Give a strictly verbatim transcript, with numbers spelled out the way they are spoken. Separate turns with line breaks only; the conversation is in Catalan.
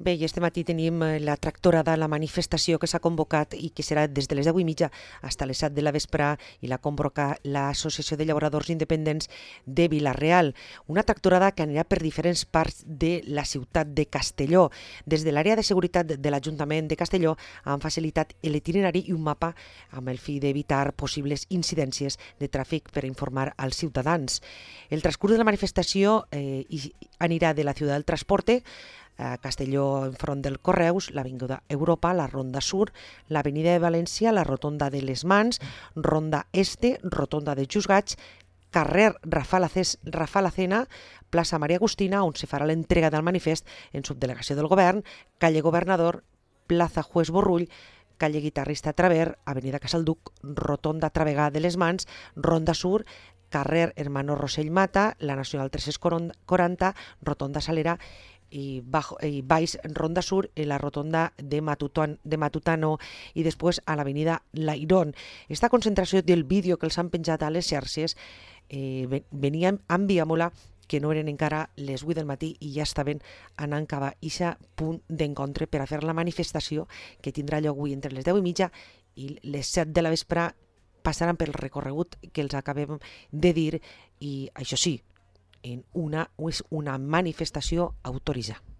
Bé, i este matí tenim la tractorada, la manifestació que s'ha convocat i que serà des de les deu i mitja fins a les set de la vespre i la convoca l'Associació de Llauradors Independents de Vila-real. Una tractorada que anirà per diferents parts de la ciutat de Castelló. Des de l'àrea de seguretat de l'Ajuntament de Castelló han facilitat l'itinerari i un mapa amb el fi d'evitar possibles incidències de tràfic per informar als ciutadans. El transcurs de la manifestació eh, anirà de la Ciutat del Transporte, a Castelló enfront del Correus, l'Avinguda Europa, la Ronda Sur, l'Avenida de València, la Rotonda de les Mans, Ronda Este, Rotonda de Juzgats, carrer Rafal-Acena, plaça Maria Agustina, on se farà l'entrega del manifest en subdelegació del Govern, calle Governador, plaça Juez Borrull, calle Guitarrista Traver, avenida Casalduc, Rotonda Travegà de les Mans, Ronda Sur, carrer Hermano Rossell Mata, la Nacional tres-cents quaranta, Rotonda Salera i, bajo, i baix Ronda Sur i la rotonda de, Matuton, de Matutano i després a l'avenida Lairón. Esta concentració del vídeo que els han penjat a les xarxes eh, venia amb Viamola, que no eren encara les vuit del matí i ja estaven anant cap a aquest punt d'encontre per a fer la manifestació que tindrà lloc avui entre les deu i mitja i les set de la vespre. Passaran pel recorregut que els acabem de dir i això sí, en una, és una manifestació autoritzada.